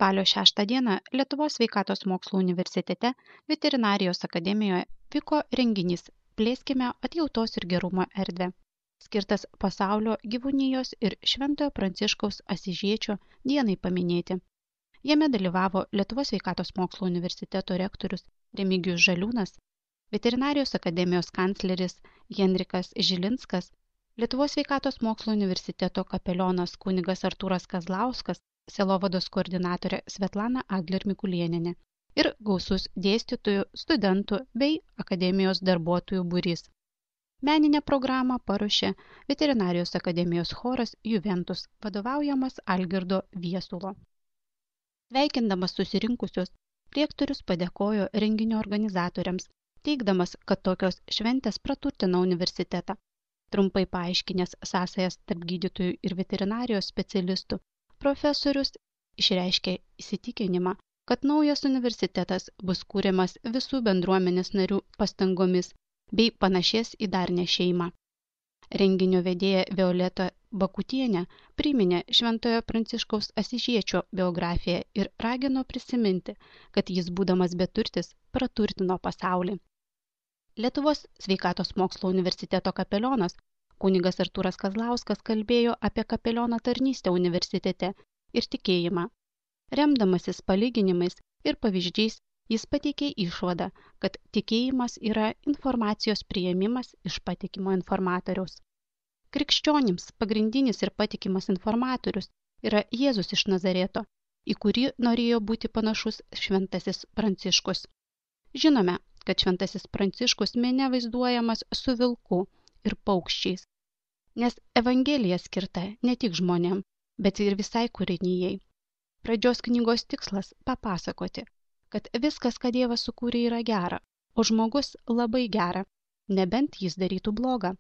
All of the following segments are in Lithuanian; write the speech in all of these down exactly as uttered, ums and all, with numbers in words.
Spalio šeštą dieną Lietuvos sveikatos mokslų universitete Veterinarijos akademijoje vyko renginys Plėskime atjautos ir gerumo erdvę, skirtas pasaulio gyvūnijos ir Šventojo Pranciškaus Asyžiečio dienai paminėti. Jame dalyvavo Lietuvos sveikatos mokslų universiteto rektorius Remigijus Žaliūnas, Veterinarijos akademijos kancleris Henrikas Žilinskas, Lietuvos sveikatos mokslų universiteto kapelionas kunigas Artūras Kazlauskas, sielovados koordinatorė Svetlana Adler Mikulėnienė ir gausus dėstytojų, studentų bei akademijos darbuotojų būrys. Meninę programą paruošė Veterinarijos akademijos choras Juventus, vadovaujamas Algirdo Viesulo. Sveikindamas susirinkusius, rektorius padėkojo renginio organizatoriams, teigdamas, kad tokios šventės praturtina universitetą. Trumpai paaiškinęs sąsajas tarp gydytojų ir veterinarijos specialistų, profesorius išreiškė įsitikinimą, kad naujas universitetas bus kūriamas visų bendruomenės narių pastangomis bei panašės į darnią šeimą. Renginio vedėja Violeta Bakutienė priminė Šventojo Pranciškaus Asyžiečio biografiją ir ragino prisiminti, kad jis būdamas beturtis praturtino pasaulį. Lietuvos sveikatos mokslo universiteto kapelionas kunigas Artūras Kazlauskas kalbėjo apie kapeliono tarnystę universitete ir tikėjimą. Remdamasis palyginimais ir pavyzdžiais, jis pateikė išvadą, kad tikėjimas yra informacijos priėmimas iš patikimo informatoriaus. Krikščionims pagrindinis ir patikimas informatorius yra Jėzus iš Nazareto, į kurį norėjo būti panašus šventasis Pranciškus. Žinome, kad šventasis Pranciškus mene vaizduojamas su vilku ir paukščiais, nes Evangelija skirta ne tik žmonėm, bet ir visai kūrinijai. Pradžios knygos tikslas papasakoti, kad viskas, ką Dievas sukūrė, yra gera, o žmogus labai gera, nebent jis darytų blogą.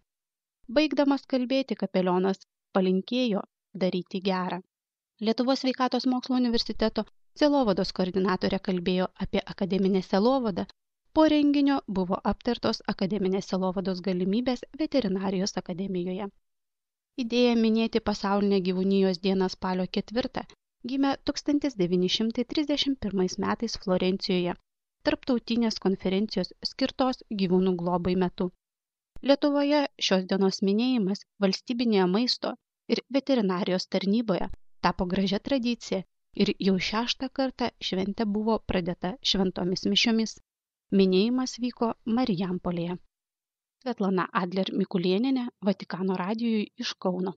Baigdamas kalbėti, kapelionas palinkėjo daryti gerą. Lietuvos sveikatos mokslo universiteto sielovados koordinatorė kalbėjo apie akademinę sielovadą. Po renginio buvo aptartos akademinės sielovados galimybės Veterinarijos akademijoje. Idėja minėti pasaulinę gyvūnijos dieną spalio ketvirtą gimė tūkstantis devyni šimtai trisdešimt pirmais metais Florencijoje, tarptautinės konferencijos skirtos gyvūnų globai metu. Lietuvoje šios dienos minėjimas valstybinėje maisto ir veterinarijos tarnyboje tapo gražia tradicija ir jau šeštą kartą šventė buvo pradėta šventomis mišiomis. Minėjimas vyko Marijampolėje. Svetlana Adler Mikulėnienė, Vatikano radijui iš Kauno.